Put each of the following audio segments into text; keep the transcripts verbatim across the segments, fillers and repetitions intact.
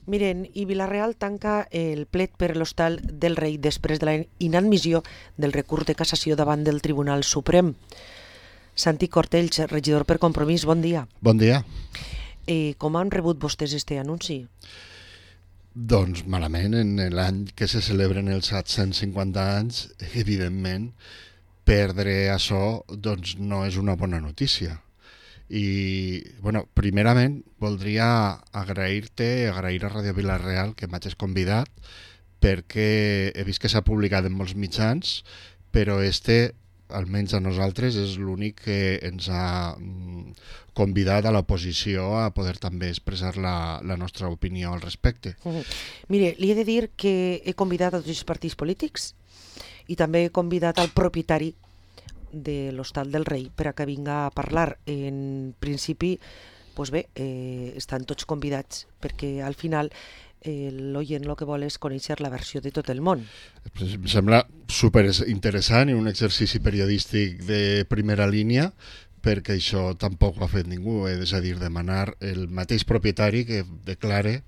Miren, i Vila-real tanca el plet per l'Hostal del Rei després de la inadmissió del recurs de cassació davant del Tribunal Suprem. Santi Cortells, regidor per Compromís, bon dia. Bon dia. Eh, com han rebut vostès este anunci? Doncs malament, en l'any que se celebren els set-cents cinquanta anys, evidentment, perdre això doncs, no és una bona notícia. I, bueno, primerament, voldria agrair-te, agrair a Ràdio Vila-real que m'hagis convidat, perquè he vist que s'ha publicat en molts mitjans, però este, almenys a nosaltres, és l'únic que ens ha convidat a l'oposició a poder també expressar la, la nostra opinió al respecte. Uh-huh. Mire, li he de dir que he convidat a tots els partits polítics i també he convidat al propietari de l'Hostal del Rei per a que vinga a parlar. En principi, doncs bé, eh, estan tots convidats perquè al final eh, l'oient el que vol és conèixer la versió de tot el món. Em sembla super interessant i un exercici periodístic de primera línia, perquè això tampoc ho ha fet ningú, és a dir, demanar el mateix propietari que declare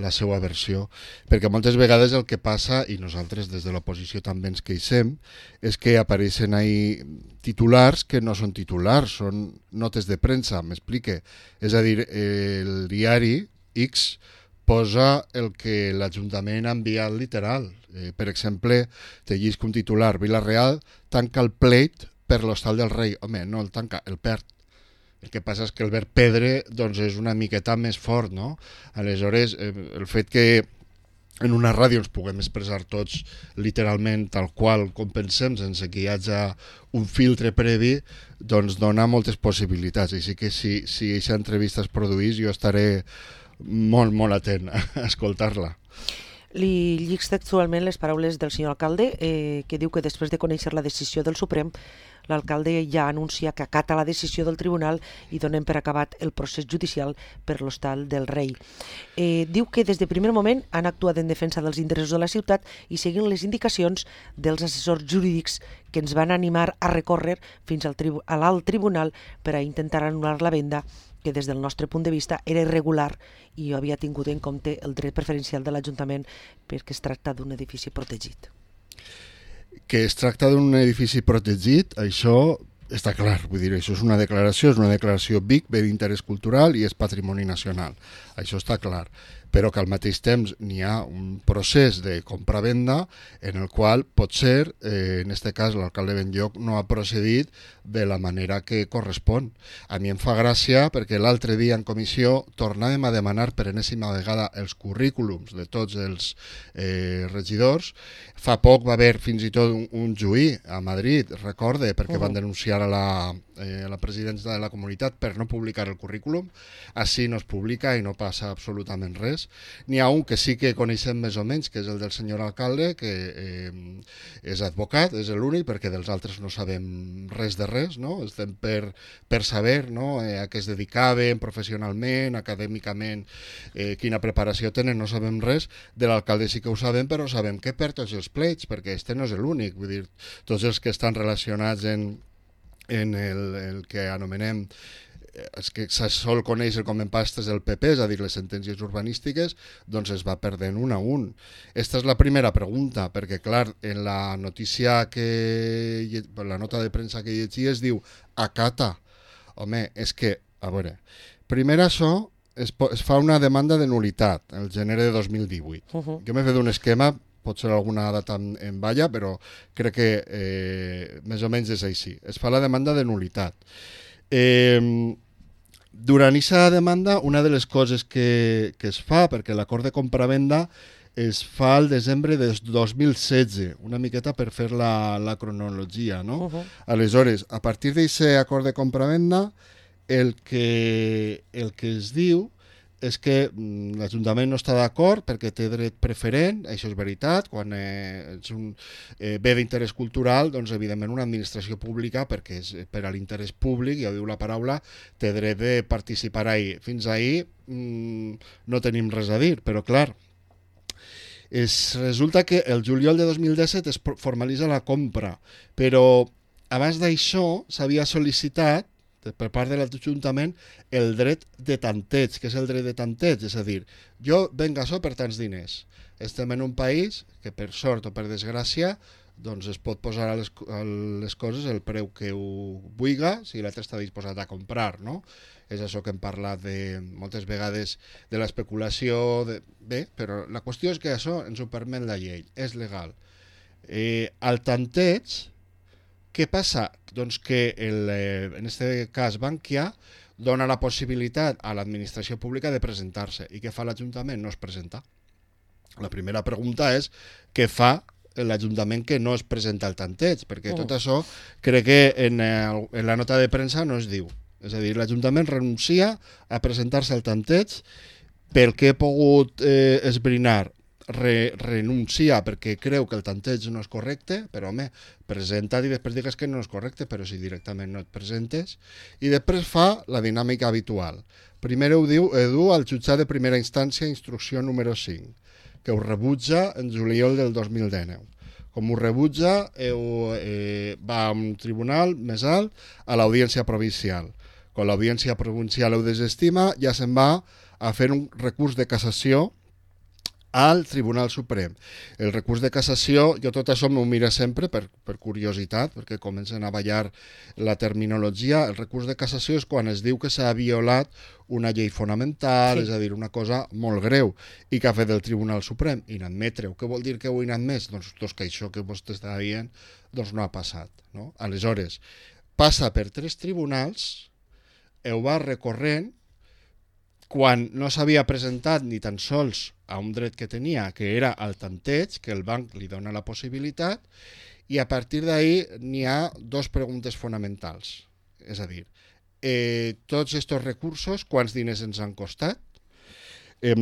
la seva versió, perquè moltes vegades el que passa, i nosaltres des de l'oposició també ens queixem, és que apareixen ahí titulars que no són titulars, són notes de premsa, m'explique. És a dir, el diari X posa el que l'Ajuntament ha enviat literal. Eh, per exemple, te llisc un titular, Vila-real tanca el pleit per l'Hostal del Rei. Home, no el tanca, el perd. El que passa és que el verb perdre doncs, és una miqueta més fort, no? Aleshores, eh, el fet que en una ràdio ens puguem expressar tots literalment tal qual com pensem, sense que hi hagi un filtre previ, doncs dona moltes possibilitats. Així que si, si aquesta entrevista es produís, jo estaré molt, molt atent a escoltar-la. Li llic textualment les paraules del senyor alcalde, eh, que diu que després de conèixer la decisió del Suprem, l'alcalde ja anuncia que acata la decisió del tribunal i donen per acabat el procés judicial per l'Hostal del Rei. Eh, diu que des de primer moment han actuat en defensa dels interessos de la ciutat i seguint les indicacions dels assessors jurídics que ens van animar a recórrer fins al tribu- a l'alt tribunal per a intentar anul·lar la venda, que des del nostre punt de vista era irregular i havia tingut en compte el dret preferencial de l'Ajuntament perquè es tracta d'un edifici protegit. Que es tracta d'un edifici protegit, això està clar, vull dir, això és una declaració, és una declaració B I C, bé d'interès cultural i és patrimoni nacional, això està clar, però que al mateix temps n'hi ha un procés de compra-venda en el qual potser, eh, en aquest cas l'alcalde Benlloc no ha procedit de la manera que correspon. A mi em fa gràcia perquè l'altre dia en comissió tornàvem a demanar per enèsima vegada els currículums de tots els eh, regidors. Fa poc va haver fins i tot un, un juí a Madrid, recorde, perquè uh-huh. van denunciar a la, eh, a la presidència de la comunitat per no publicar el currículum. Així no es publica i no passa absolutament res. N'hi ha un que sí que coneixem més o menys, que és el del senyor alcalde, que eh, és advocat, és l'únic, perquè dels altres no sabem res de res, no? Estem per, per saber, no? eh, a què es dedicaven professionalment, acadèmicament, eh, quina preparació tenen, no sabem res. De l'alcalde sí que ho sabem, però sabem que per tots els pleits, perquè este no és l'únic, vull dir, tots els que estan relacionats en, en el, el que anomenem és que se sol conèixer com en pastes del P P, és a dir, les sentències urbanístiques, doncs es va perdent un a un. Esta és la primera pregunta, perquè, clar, en la notícia que... la nota de premsa que llegia es diu acata. Home, és que, a veure, primer això es, es fa una demanda de nulitat el gener de dos mil divuit. Uh-huh. Jo m'he fet un esquema, potser alguna data en, en balla, però crec que eh, més o menys és així. Es fa la demanda de nulitat. Eh, Durant aquesta demanda, una de les coses que, que es fa, perquè l'acord de compra-venda es fa al desembre de dos mil setze, una miqueta per fer la, la cronologia, no? Uh-huh. Aleshores, a partir d'aquest acord de compra-venda, el que, el que es diu és que mm, l'Ajuntament no està d'acord perquè té dret preferent, això és veritat, quan eh, és un eh, bé d'interès cultural, doncs evidentment una administració pública, perquè és per a l'interès públic, ja ho diu la paraula, té dret de participar ahí. Fins ahí mm, no tenim res a dir, però clar, es, resulta que el juliol de dos mil disset es formalitza la compra, però abans d'això s'havia sol·licitat per part de l'Ajuntament el dret de tanteig. Què és el dret de tanteig? És a dir, jo venc això per tants diners. Estem en un país que per sort o per desgràcia doncs es pot posar a les, a les coses el preu que ho vulga si l'altre està disposat a comprar, no? És això que hem parlat de, moltes vegades de l'especulació. De... Bé, però la qüestió és que això ens ho permet la llei, és legal. Eh, el tanteig, què passa? Doncs que el, eh, en aquest cas Bankia dona la possibilitat a l'administració pública de presentar-se. I què fa l'Ajuntament? No es presenta. La primera pregunta és què fa l'Ajuntament que no es presenta el tanteig, perquè tot això crec que en, el, en la nota de premsa no es diu. És a dir, l'Ajuntament renuncia a presentar-se al tanteig. Pel que he pogut eh, esbrinar, Re, renuncia perquè creu que el tanteig no és correcte, però home, presenta't i després digues que no és correcte, però si directament no et presentes. I després fa la dinàmica habitual. Primer ho diu, ho diu al jutjat de primera instància, instrucció número cinc, que ho rebutja en juliol del dos mil dinou. Com ho rebutja, heu, eh, va a un tribunal més alt, a l'audiència provincial. Quan l'audiència provincial ho desestima, ja se'n va a fer un recurs de cassació al Tribunal Suprem. El recurs de cassació, jo tot això m'ho miro sempre per, per curiositat, perquè comencen a ballar la terminologia. El recurs de cassació és quan es diu que s'ha violat una llei fonamental, sí. És a dir, una cosa molt greu, i que ha fet el Tribunal Suprem, inadmetre-ho. Què vol dir que ho inadmès? Doncs, doncs que això que vostè està dient doncs no ha passat. No? Aleshores, passa per tres tribunals, ho va recorrent, quan no s'havia presentat ni tan sols a un dret que tenia, que era el tanteig, que el banc li dona la possibilitat, i a partir d'ahir n'hi ha dos preguntes fonamentals. És a dir, eh, tots aquests recursos, quants diners ens han costat? Eh,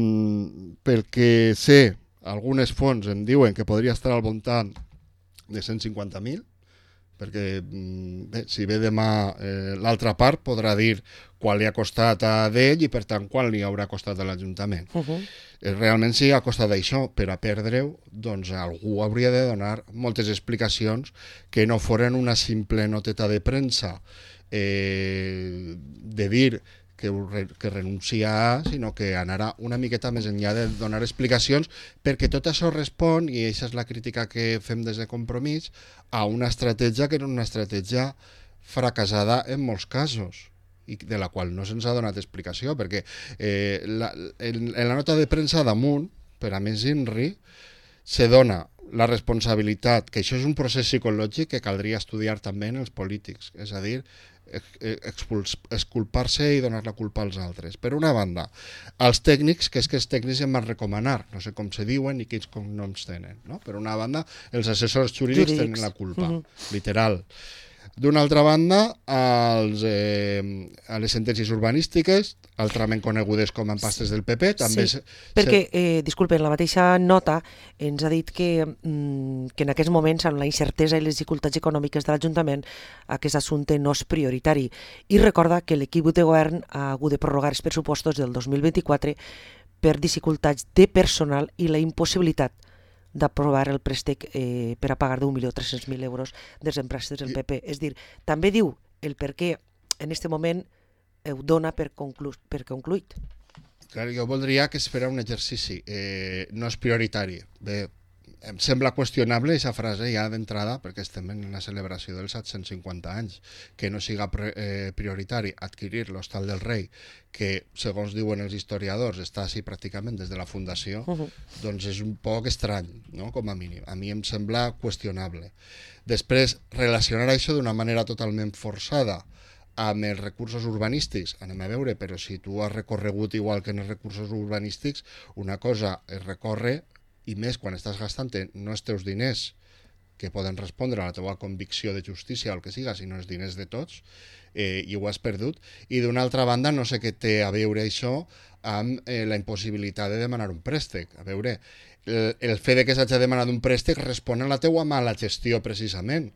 perquè sé, algunes fonts em diuen que podria estar al voltant de cent cinquanta mil, perquè bé, si ve demà eh, l'altra part podrà dir quan li ha costat a d'ell i per tant quan li haurà costat a l'Ajuntament. Uh -huh. eh, realment si ha costat això per a perdre-ho, doncs algú hauria de donar moltes explicacions que no foren una simple noteta de premsa eh, de dir que, que renuncia a, sinó que anarà una miqueta més enllà de donar explicacions, perquè tot això respon, i aquesta és la crítica que fem des de Compromís, a una estratègia que era una estratègia fracassada en molts casos, i de la qual no se'ns ha donat explicació, perquè eh, la, en, en la nota de premsa damunt, per a més INRI, se dona la responsabilitat, que això és un procés psicològic que caldria estudiar també en els polítics, és a dir, exculpar-se i donar la culpa als altres. Per una banda, els tècnics, que és que els tècnics em van recomanar, no sé com se diuen ni quins cognoms tenen, no? Per una banda, els assessors jurídics, jurídics. tenen la culpa, uh-huh. literal. D'una altra banda, als, eh, a les sentències urbanístiques, altrament conegudes com a empastes del P P, també... Sí, se, perquè, eh, disculpen, la mateixa nota ens ha dit que, mm, que en aquests moments, amb la incertesa i les dificultats econòmiques de l'Ajuntament, aquest assumpte no és prioritari. I recorda que l'equip de govern ha hagut de prorrogar els pressupostos del dos mil vint-i-quatre per dificultats de personal i la impossibilitat d'aprovar el préstec eh, per a pagar d'un milió tres-cents mil euros dels empréstecs del P P. És dir, també diu el per què en aquest moment ho dona per, conclu per concluït. Clar, jo voldria que es fera un exercici. Eh, no és prioritari. Bé, em sembla qüestionable aquesta frase ja d'entrada, perquè estem en la celebració dels set-cents cinquanta anys, que no siga eh, prioritari adquirir l'Hostal del Rei, que, segons diuen els historiadors, està així pràcticament des de la fundació, uh -huh. doncs és un poc estrany, no? Com a mínim. A mi em sembla qüestionable. Després, relacionar això d'una manera totalment forçada amb els recursos urbanístics, anem a veure, però si tu has recorregut igual que en els recursos urbanístics, una cosa es recorre, i més quan estàs gastant no els teus diners que poden respondre a la teva convicció de justícia o el que siga, sinó els diners de tots, eh, i ho has perdut. I d'una altra banda, no sé què té a veure això amb eh, la impossibilitat de demanar un préstec. A veure, el, el fet de que s'hagi demanat un préstec respon a la teua mala gestió, precisament,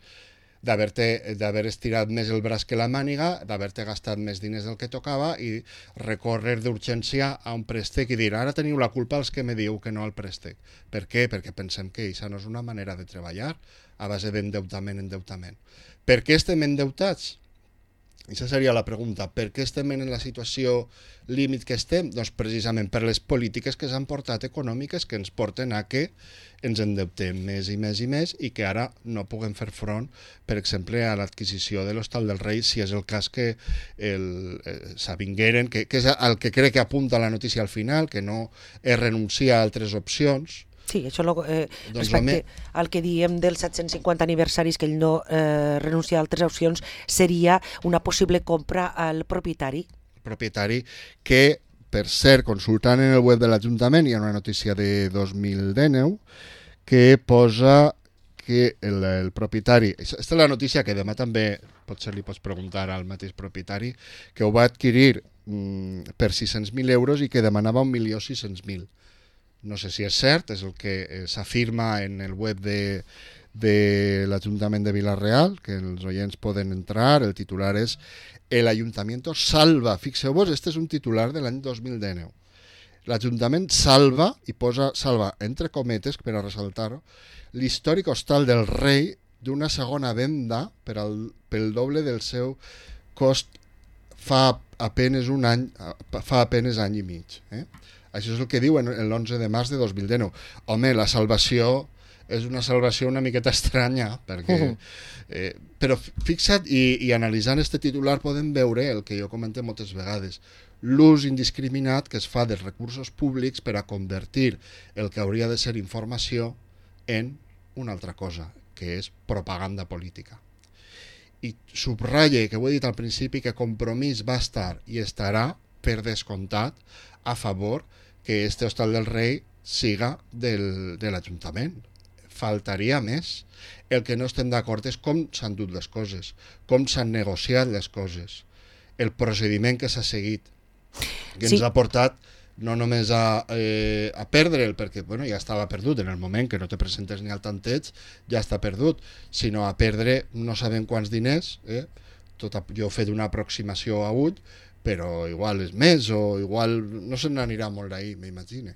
d'haver estirat més el braç que la màniga, d'haver-te gastat més diners del que tocava i recórrer d'urgència a un préstec i dir, ara teniu la culpa els que me diu que no al préstec. Per què? Perquè pensem que això no és una manera de treballar a base d'endeutament, endeutament. Per què estem endeutats? Aquesta seria la pregunta. Per què estem en la situació límit que estem? Doncs precisament per les polítiques que s'han portat econòmiques que ens porten a que ens endeutem més i més i més i que ara no puguem fer front, per exemple, a l'adquisició de l'Hostal del Rei, si és el cas que el, eh, s'avingueren, que, que és el que crec que apunta la notícia al final, que no es renuncia a altres opcions. Sí, això lo, eh, doncs respecte home, al que diem dels set-cents cinquanta aniversaris, que ell no eh, renuncia a altres opcions, seria una possible compra al propietari. Propietari que, per cert, consultant en el web de l'Ajuntament, hi ha una notícia de dos mil dinou que posa que el, el propietari... Aquesta és la notícia que demà també potser li pots preguntar al mateix propietari, que ho va adquirir mm, per sis-cents mil euros i que demanava un milió sis-cents mil. No sé si és cert, és el que s'afirma en el web de, de l'Ajuntament de Vila-real, que els oients poden entrar. El titular és El Ayuntamiento salva. Fixeu-vos, este és un titular de l'any dos mil dinou. L'Ajuntament salva, i posa salva entre cometes per a ressaltar-ho, l'històric Hostal del Rei d'una segona venda per al, pel doble del seu cost fa apenes un any, fa apenes any i mig. Eh? Això és el que diu en l'onze de març de dos mil dinou. Home, la salvació és una salvació una miqueta estranya, perquè, eh, però fixa't, i, i analitzant este titular podem veure el que jo comenté moltes vegades, l'ús indiscriminat que es fa dels recursos públics per a convertir el que hauria de ser informació en una altra cosa, que és propaganda política. I subratlle, que ho he dit al principi, que Compromís va estar i estarà, per descomptat, a favor que este Hostal del Rei siga del, de l'Ajuntament. Faltaria més. El que no estem d'acord és com s'han dut les coses, com s'han negociat les coses, el procediment que s'ha seguit, que sí. ens ha portat no només a, eh, a perdre'l, perquè bueno, ja estava perdut en el moment que no te presentes ni al tanteig, ja està perdut, sinó a perdre no sabem quants diners, eh? Tot, jo he fet una aproximació a ull, però igual és més o igual no se n'anirà molt d'ahir, m'imagino.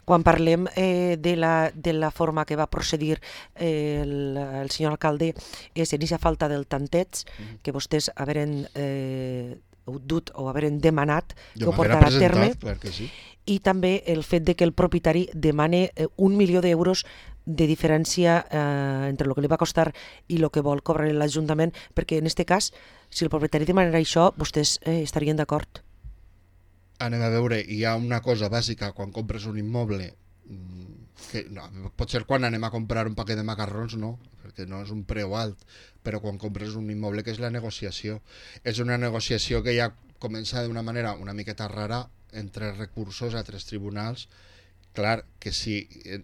Quan parlem eh, de, la, de la forma que va procedir eh, el, el senyor alcalde, és en aquesta falta del tanteig, mm. que vostès haveren eh, dut o haveren demanat que jo ho portarà a terme, clar que sí. I també el fet de que el propietari demane eh, un milió d'euros de diferència eh, entre el que li va costar i el que vol cobrar l'Ajuntament, perquè en aquest cas, si el propietari demanarà això, vostès eh, estarien d'acord. Anem a veure, hi ha una cosa bàsica quan compres un immoble, que no, pot ser quan anem a comprar un paquet de macarrons, no, perquè no és un preu alt, però quan compres un immoble, que és la negociació. És una negociació que ja comença d'una manera una miqueta rara entre recursos a tres tribunals. Clar, que si,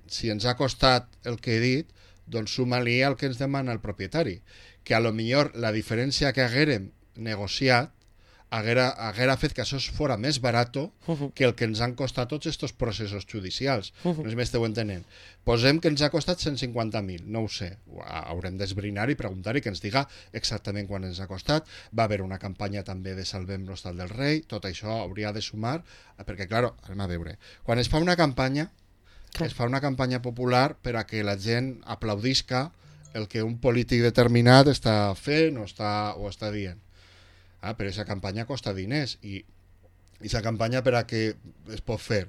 si ens ha costat el que he dit, doncs suma-li el que ens demana el propietari, que a lo millor la diferència que haguérem negociat haguera, haguera fet que això fora més barat uh-huh. que el que ens han costat tots aquests processos judicials. Uh-huh. No sé si m'esteu entenent. Posem que ens ha costat cent cinquanta mil, no ho sé. Haurem d'esbrinar i preguntar i que ens diga exactament quan ens ha costat. Va haver una campanya també de Salvem l'Hostal del Rei, tot això hauria de sumar, perquè, clar, anem a veure, quan es fa una campanya, clar. es fa una campanya popular per a que la gent aplaudisca el que un polític determinat està fent o està, o està dient. Ah, però aquesta campanya costa diners i aquesta campanya per a què es pot fer?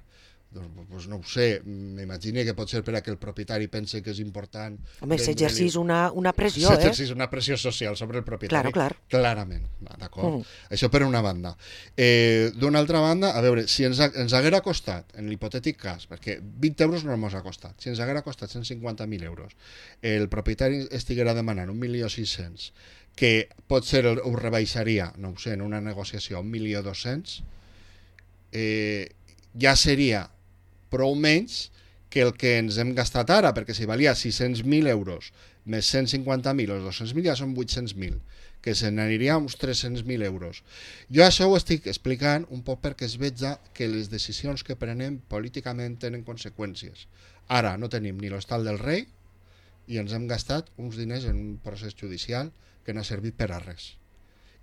Doncs, doncs no ho sé, m'imagino que pot ser per a que el propietari pense que és important. Home, s'exercís una, una pressió, eh? S'exercís una pressió social sobre el propietari. Claro, clar. Clarament, d'acord? Mm. Això per una banda. Eh, D'una altra banda, a veure, si ens, ha, ens haguera costat, en l'hipotètic cas, perquè vint euros no ens ha costat, si ens haguera costat cent cinquanta mil euros, el propietari estiguera demanant un milió sis-cents, que pot ser, ho rebaixaria, no ho sé, en una negociació, un milió dos-cents, eh, ja seria prou menys que el que ens hem gastat ara, perquè si valia sis-cents mil euros més cent cinquanta mil o dos-cents mil ja són vuit-cents mil, que se n'aniria uns tres-cents mil euros. Jo això ho estic explicant un poc perquè es veja que les decisions que prenem políticament tenen conseqüències. Ara no tenim ni l'Hostal del Rei i ens hem gastat uns diners en un procés judicial que no ha servit per a res.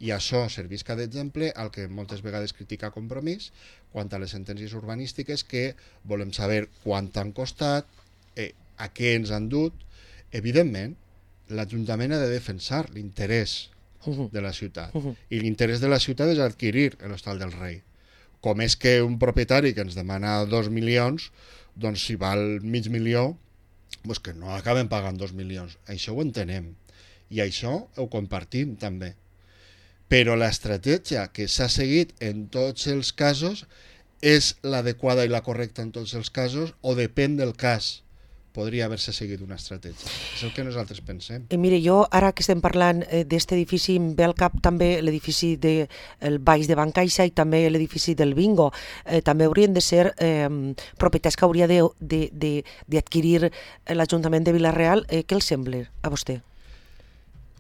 I això servisca d'exemple al que moltes vegades critica Compromís quant a les sentències urbanístiques, que volem saber quant han costat, eh, a què ens han dut. Evidentment, l'Ajuntament ha de defensar l'interès uh-huh. de la ciutat. Uh-huh. I l'interès de la ciutat és adquirir l'Hostal del Rei. Com és que un propietari que ens demana dos milions, doncs si val mig milió, doncs que no acaben pagant dos milions. Això ho entenem. I això ho compartim també. Però l'estratègia que s'ha seguit en tots els casos és l'adequada i la correcta en tots els casos o depèn del cas? Podria haver-se seguit una estratègia. És el que nosaltres pensem. Eh, mire, jo ara que estem parlant eh, d'aquest edifici em ve al cap també l'edifici del de, Baix de Bancaixa i també l'edifici del Bingo. Eh, també haurien de ser eh, propietats que hauria d'adquirir l'Ajuntament de Vila-real. Eh, què els sembla a vostè?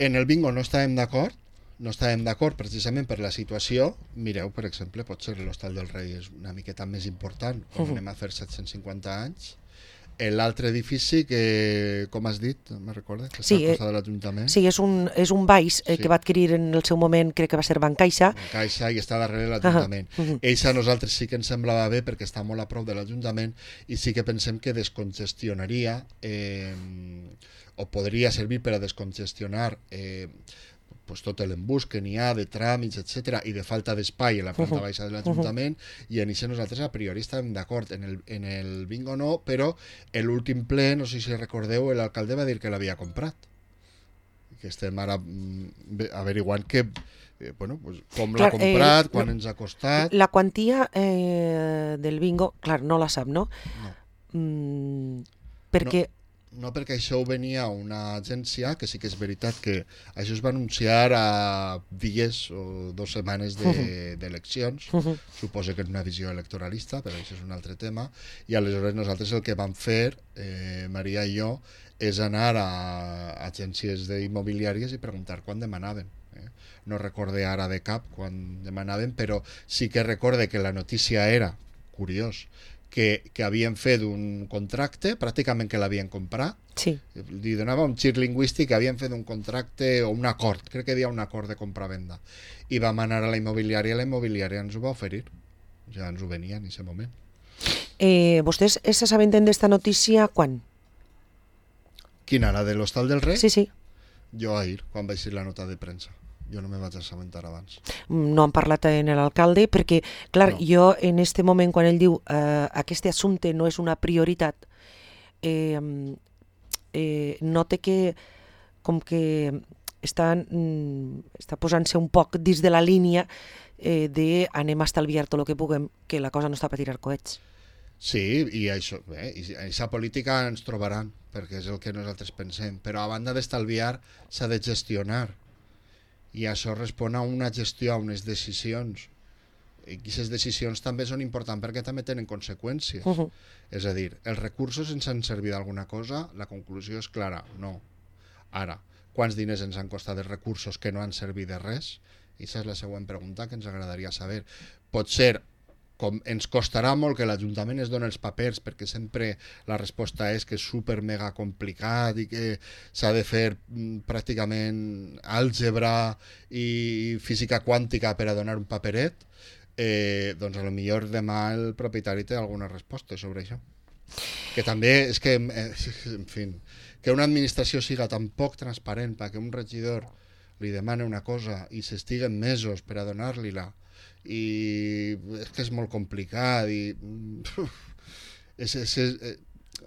En el Bingo no estàvem d'acord, no estàvem d'acord precisament per la situació. Mireu, per exemple, potser l'Hostal del Rei és una miqueta més important, on uh-huh. anem a fer set-cents cinquanta anys. L'altre edifici que, com has dit, me recorda, que està sí, al costat de l'Ajuntament. Sí, és un, és un baix eh, sí. que va adquirir en el seu moment, crec que va ser Bancaixa. Bancaixa i està darrere de l'Ajuntament. Uh -huh. Ells a nosaltres sí que ens semblava bé perquè està molt a prop de l'Ajuntament i sí que pensem que descongestionaria eh, o podria servir per a descongestionar eh, pues tot l'embús que n'hi ha de tràmits, etcètera, i de falta d'espai a la planta uh-huh. baixa de l'Ajuntament, uh-huh. i en això nosaltres a priori estàvem d'acord. En el, en el Bingo no, però en l'últim ple, no sé si recordeu, l'alcalde va dir que l'havia comprat. Que estem ara mm, averiguant que, eh, bueno, pues, com l'ha comprat, eh, quan no, ens ha costat... La quantia eh, del Bingo, clar, no la sap, no? No. Mm, perquè... No. No, perquè això venia a una agència, que sí que és veritat que això es va anunciar a dies o dues setmanes d'eleccions, de, uh-huh. suposo que és una visió electoralista, però això és un altre tema, i aleshores nosaltres el que vam fer, eh, Maria i jo, és anar a agències immobiliàries i preguntar quan demanaven. Eh? No recorde ara de cap quan demanaven, però sí que recorde que la notícia era, curiós, que, que havien fet un contracte, pràcticament que l'havien comprat, sí. li donava un gir lingüístic, que havien fet un contracte o un acord, crec que hi havia un acord de compra-venda, i vam anar a la immobiliària, i la immobiliària ens ho va oferir, ja ens ho venia en aquest moment. Eh, vostès s'assabenten d'esta notícia quan? Quina, la de l'Hostal del Rei? Sí, sí. Jo ahir, quan vaig ser la nota de premsa. Jo no me vaig assabentar abans. No han parlat en l'alcalde perquè, clar, no. jo en este moment quan ell diu eh, aquest assumpte no és una prioritat, eh, eh, note que com que està, està posant-se un poc dins de la línia eh, de anem a estalviar tot el que puguem, que la cosa no està per tirar coets. Sí, i això, eh, i aquesta política ens trobaran, perquè és el que nosaltres pensem, però a banda d'estalviar s'ha de gestionar. I això respon a una gestió, a unes decisions. I aquestes decisions també són importants perquè també tenen conseqüències. Uh-huh. És a dir, els recursos ens han servit d'alguna cosa? La conclusió és clara, no. Ara, quants diners ens han costat els recursos que no han servit de res? I aquesta és la següent pregunta que ens agradaria saber. Pot ser, com ens costarà molt que l'Ajuntament es doni els papers, perquè sempre la resposta és que és super mega complicat i que s'ha de fer pràcticament àlgebra i física quàntica per a donar un paperet, eh, doncs a lo millor demà el propietari té alguna resposta sobre això. Que també és que, en fi, que una administració siga tan poc transparent perquè un regidor li demana una cosa i s'estiguen mesos per a donar-li-la, i és que és molt complicat i uf, és, és, és,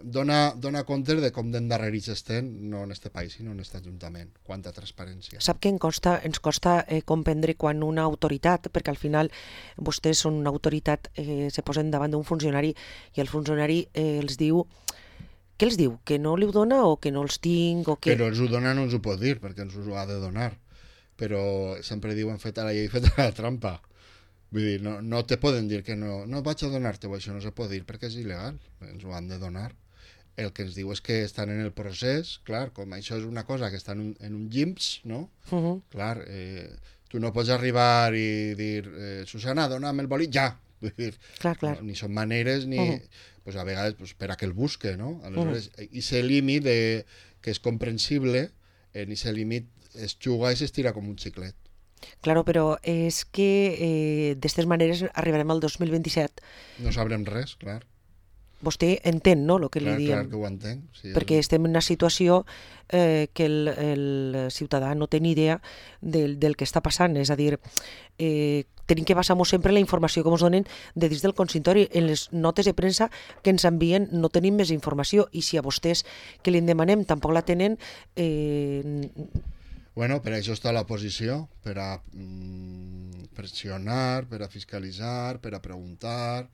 dona, dona compte de com d'endarrerits estem, no en este país sinó en aquest Ajuntament, quanta transparència. Sap que ens costa, ens costa eh, comprendre quan una autoritat, perquè al final vostès són una autoritat, eh, se posen davant d'un funcionari i el funcionari eh, els diu, què els diu? Que no li ho dona o que no els tinc? O que... Però ens ho dona no ens ho pot dir perquè ens ho ha de donar, però sempre diuen feta la llei, feta la trampa. Vull dir, no, no te poden dir que no, no vaig a donar-te-ho, això no se pot dir perquè és il·legal, ens ho han de donar. El que ens diu és que estan en el procés, clar, com això és una cosa que està en un, en un G I M S, no? Uh-huh. Clar, eh, tu no pots arribar i dir, eh, Susana, dona'm el bolí, ja! Vull dir, clar, clar. No, ni són maneres, ni... Uh-huh. Pues a vegades pues, per a que el busque, no? Aleshores, uh-huh. i aquest límit de, que és comprensible, en aquest límit es juga i s'estira com un xiclet. Claro, però és que eh, d'aquestes maneres arribarem al dos mil vint-i-set. No sabrem res, clar. vostè entén, no?, el que Clar, li clar diem. que ho entenc. Sí, Perquè és... estem en una situació eh, que el, el ciutadà no té ni idea del, del que està passant. És a dir, eh, tenim que basar-nos sempre en la informació que ens donen de dins del consistori. En les notes de premsa que ens envien no tenim més informació, i si a vostès que li en demanem tampoc la tenen... Eh... Bueno, per això està l'oposició, per a mm, pressionar, per a fiscalitzar, per a preguntar...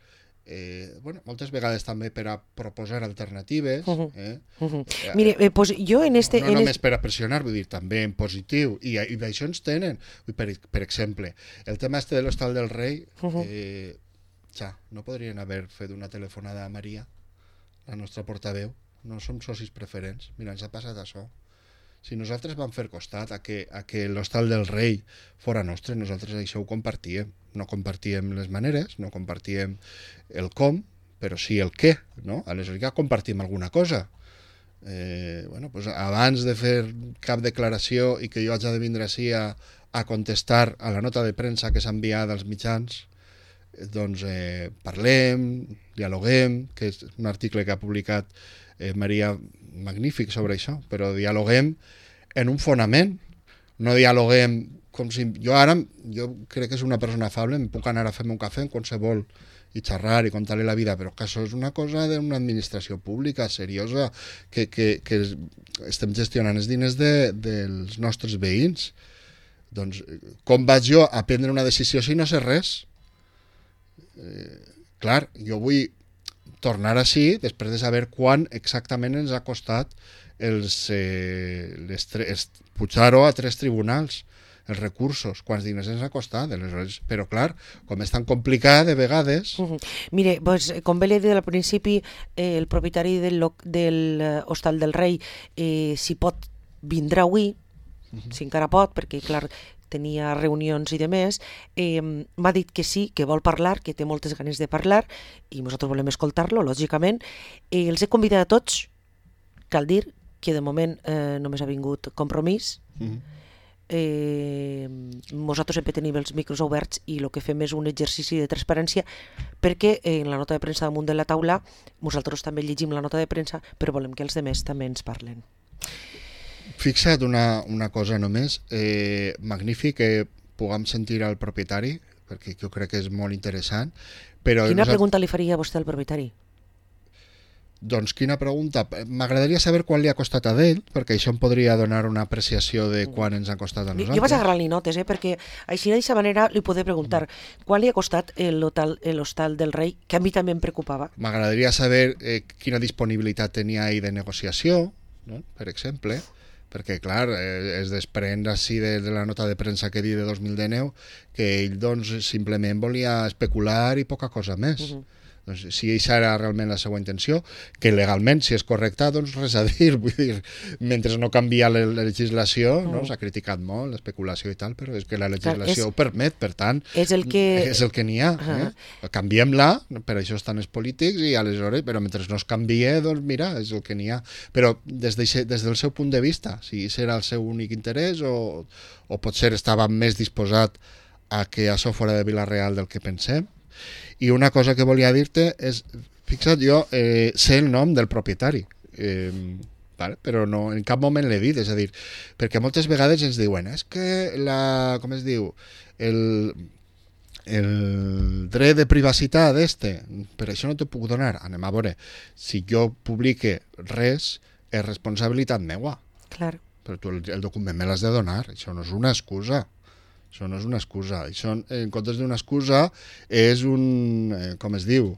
Eh, bueno, moltes vegades també per a proposar alternatives. Uh -huh. eh? Uh -huh. Eh, Mire, eh, pues jo en este... No, en no només es... per a pressionar, vull dir, també en positiu, i, i d'això ens tenen. Per, per exemple, el tema este de l'Hostal del Rei, uh -huh. eh, ja, no podrien haver fet una telefonada a Maria, la nostra portaveu, no som socis preferents, mira, ens ha passat això. Si nosaltres vam fer costat a que, a que l'Hostal del Rei fora nostre, nosaltres això ho compartíem. No compartíem les maneres, no compartíem el com, però sí el què, no? Aleshores ja compartim alguna cosa. Eh, bueno, pues abans de fer cap declaració i que jo haig de vindre així a, a contestar a la nota de premsa que s'ha enviat als mitjans, doncs eh, parlem, dialoguem, que és un article que ha publicat eh, Maria magnífic sobre això, però dialoguem en un fonament, no dialoguem com si... Jo ara, jo crec que és una persona afable, em puc anar a fer-me un cafè en qualsevol i xerrar i contar-li la vida, però que això és una cosa d'una administració pública seriosa, que, que, que estem gestionant els diners de, dels nostres veïns. Doncs com vaig jo a prendre una decisió si no sé res? Eh, clar, jo vull tornar així després de saber quan exactament ens ha costat els, eh, les tres, pujar-ho a tres tribunals, els recursos, quants diners ens ha costat, aleshores, però clar, com és tan complicat de vegades... Uh -huh. Mire, pues, com bé li he dit al principi, eh, el propietari del, del uh, Hostal del Rei, eh, si pot, vindrà avui, uh -huh. si encara pot, perquè clar, tenia reunions i demés, eh, m'ha dit que sí, que vol parlar, que té moltes ganes de parlar, i nosaltres volem escoltar-lo, lògicament. Eh, els he convidat a tots, cal dir que de moment eh, només ha vingut Compromís. Uh -huh. Eh, nosaltres sempre tenim els micros oberts i el que fem és un exercici de transparència, perquè eh, en la nota de premsa damunt de la taula nosaltres també llegim la nota de premsa, però volem que els demés també ens parlen. Fixa't una, una cosa només, eh, magnífic que puguem sentir al propietari, perquè jo crec que és molt interessant. Però Quina nosaltres... pregunta li faria a vostè al propietari? Doncs quina pregunta? M'agradaria saber quan li ha costat a ell, perquè això em podria donar una apreciació de quan ens ha costat a nosaltres. Jo vaig agarrar-li notes, eh, perquè així d'aquesta manera li podré preguntar quan li ha costat l'Hostal del Rei, que a mi també em preocupava. M'agradaria saber eh, quina disponibilitat tenia ell de negociació, no? Per exemple, perquè clar, eh, es desprèn així de, de la nota de premsa que he dit de dos mil dinou que ell doncs simplement volia especular i poca cosa més. Uh-huh. Doncs, si això era realment la seva intenció, que legalment, si és correcta, doncs res a dir. Vull dir, mentre no canvia la legislació, no? S'ha criticat molt l'especulació i tal, però és que la legislació és, ho permet, per tant, és el que és el que n'hi ha. Uh-huh. eh? Canviem-la, per això estan els polítics, i aleshores, però mentre no es canvie, doncs mira, és el que n'hi ha. Però des, de, des del seu punt de vista, si això era el seu únic interès o, o potser estava més disposat a que això fora de Vila-real del que pensem. I una cosa que volia dir-te és, fixa't, jo eh, sé el nom del propietari, eh, vale? Però no, en cap moment l'he dit, és a dir, perquè moltes vegades ens diuen, és que la, com es diu, el, el dret de privacitat este, per això no t'ho puc donar. Anem a veure, si jo publique res, és responsabilitat meua. Clar. Però tu el, el document me l'has de donar, això no és una excusa. Això no és una excusa. Això, en comptes d'una excusa, és un... Eh, com es diu?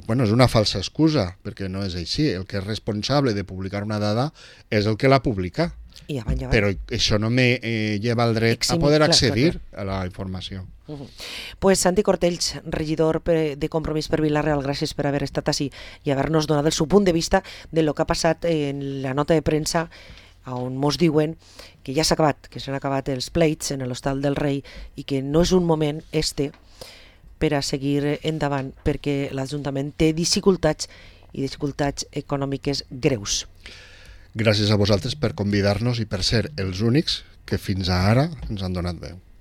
Bueno, és una falsa excusa, perquè no és així. El que és responsable de publicar una dada és el que la publica. I avant, avant. Però això no me eh, lleva el dret Exim, a poder clar, accedir clar, clar. a la informació. Uh-huh. Pues Santi Cortells, regidor de Compromís per Vila-real, gràcies per haver estat així i haver-nos donat el seu punt de vista de lo que ha passat en la nota de premsa on mos diuen que ja s'ha acabat, que s'han acabat els pleits en l'Hostal del Rei i que no és un moment este per a seguir endavant perquè l'Ajuntament té dificultats i dificultats econòmiques greus. Gràcies a vosaltres per convidar-nos i per ser els únics que fins ara ens han donat veu.